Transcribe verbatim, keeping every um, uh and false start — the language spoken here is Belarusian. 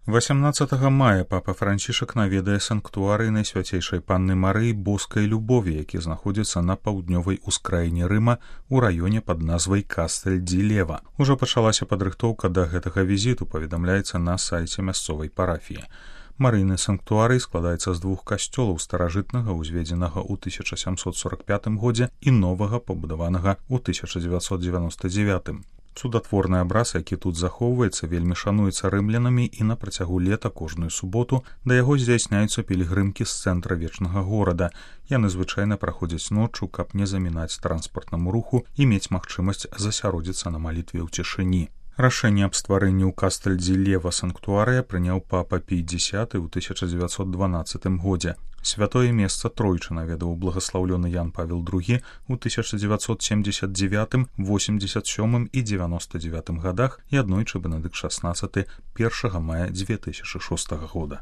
восямнаццатага мая папа Францішак наведае санктуарый Найсвяцейшай Панны Марыі Боскай Любові, які знаходзіцца на паўднёвай ускраіне Рыма ў раёне пад назвай Кастэль-ді-Лева. Ужо пачалася падрыхтоўка да гэтага візіту, паведамляецца на сайце мясцовай парафіі. Марыйны санктуарый складаецца з двух касцёлаў старажытнага, узведзенага ў тысяча сямсот сорак пятым годзе, і новага, пабудаванага ў тысяча дзевяцьсот дзевяноста дзевятым. Цудатворны абраз, які тут захоўваецца, вельмі шануецца рымлянамі, і на працягу лета кожную суботу да яго здзяйсняюцца пілігрымкі з цэнтра вечнага горада. Яны звычайна праходзяць ноччу, каб не замінаць транспартнаму руху і мець магчымасць засяродзіцца на малітве ў цішыні. Рашэнне аб стварэнні ў Кастэль-ді-Лева санктуарыя прыняў папа Пій дзесяты ў тысяча дзевяцьсот дванаццатым годзе. Святое месца тройчы наведаў благаслаўлёны Ян Павел другі ў тысяча дзевяцьсот семдзесят дзевятым, восемьдесят сёмым і дзевяноста дзевятым гадах і аднойчы Бенедыкт шаснаццаты першага мая дзве тысячы шостага года.